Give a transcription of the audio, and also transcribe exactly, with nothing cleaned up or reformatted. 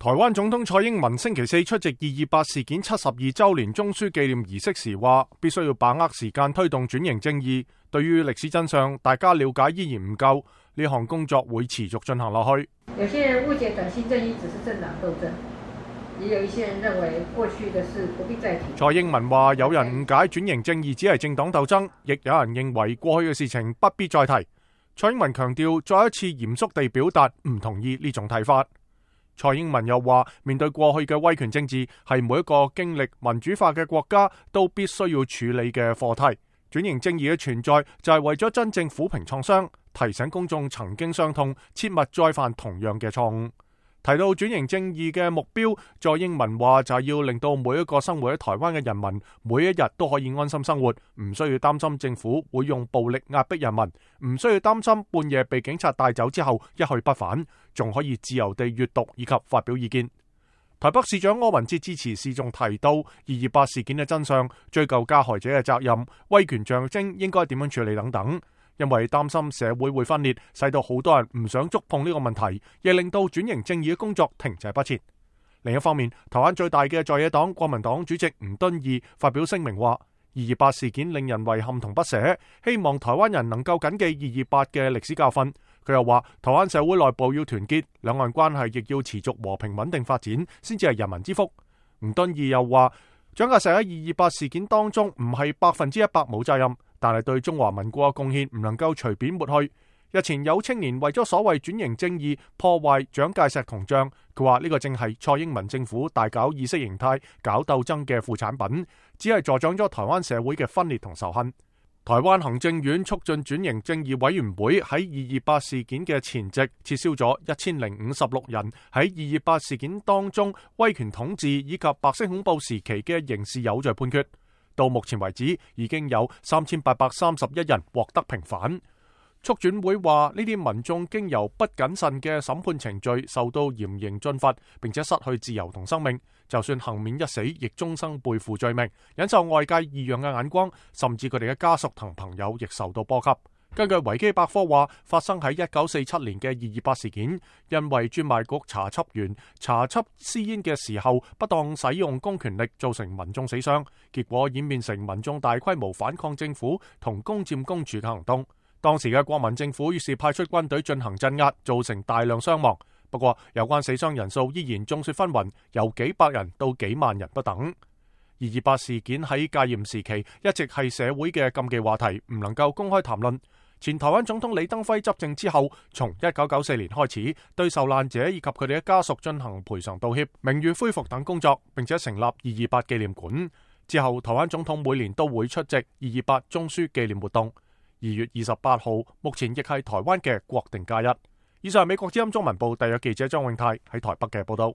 台灣總統蔡英文星期四出席二二八事件七十二周年中樞紀念儀式時話，必須要把握時間推動轉型正義。對於歷史真相，大家了解依然唔夠，呢項工作會持續進行落去。有些人誤解轉型正義只是政黨鬥爭，也有一些人認為過去的事不必再提。蔡英文話，有人誤解轉型正義只係政黨鬥爭，亦有人認為過去嘅事情不必再提。蔡英文強調，再一次嚴肅地表達唔同意呢種睇法。蔡英文又話，面對過去嘅威權政治，係每一個經歷民主化嘅國家都必須要處理嘅課題。轉型正義嘅存在就係為咗真正撫平創傷，提醒公眾曾經傷痛，切勿再犯同樣嘅錯誤。提到轉型正義嘅目標，蔡英文話就係要令到每一個生活喺台灣嘅人民，每一日都可以安心生活，唔需要擔心政府會用暴力壓迫人民，唔需要擔心半夜被警察帶走之後一去不返，仲可以自由地閱讀以及發表意見。台北市長柯文哲致辭時仲提到二二八事件嘅真相，追究加害者嘅責任，威權象徵應該點樣處理等等。因為擔心社會會分裂，使到好多人唔想觸碰呢個問題，亦令到轉型正義嘅工作停滯不前。另一方面，台灣最大嘅在野黨國民黨主席吳敦義發表聲明話，二二八事件令人遺憾同不捨，希望台灣人能夠謹記二二八嘅歷史教訓。佢又話，台灣社會內部要團結，兩岸關係亦要持續和平穩定發展，先至係人民之福。吳敦義又話，蔣介石喺二二八事件當中唔係百分之一百冇責任，但係對中華民國嘅貢獻唔能夠隨便抹去。日前有青年為咗所謂轉型正義破壞蔣介石銅像，佢話呢個正係蔡英文政府大搞意識形態、搞鬥爭嘅副產品，只係助長咗台灣社會嘅分裂同仇恨。台灣行政院促進轉型正義委員會喺二二八事件嘅前夕撤銷咗一千零五十六人喺二二八事件當中威權統治以及白色恐怖時期嘅刑事有罪判決。到目前為止，已經有三千八百三十一人獲得平反。促轉會話，呢啲民眾經由不謹慎嘅審判程序，受到嚴刑峻罰，並且失去自由同生命。就算幸免一死，亦終生背負罪名，忍受外界異樣嘅眼光，甚至佢哋嘅家屬同朋友亦受到波及。根據維基百科話，發生喺一九四七年嘅二二八事件，因為專賣局查緝員查緝私煙嘅時候不當使用公權力，造成民眾死傷，結果演變成民眾大規模反抗政府同攻佔公署嘅行動。當時嘅國民政府於是派出軍隊進行鎮壓，造成大量傷亡。不過有關死傷人數依然眾說紛紜，由幾百人到幾萬人不等。二二八事件喺戒嚴時期一直係社會嘅禁忌話題，唔能夠公開談論。前台灣總統李登輝執政之後，從一九九四年開始對受難者以及佢哋嘅家屬進行賠償道歉、名譽恢復等工作，並且成立二二八紀念館。之後台灣總統每年都會出席二二八中樞紀念活動。二月二十八號目前亦係台灣嘅國定假日。以上係美國之音中文部特約記者張永泰喺台北嘅報道。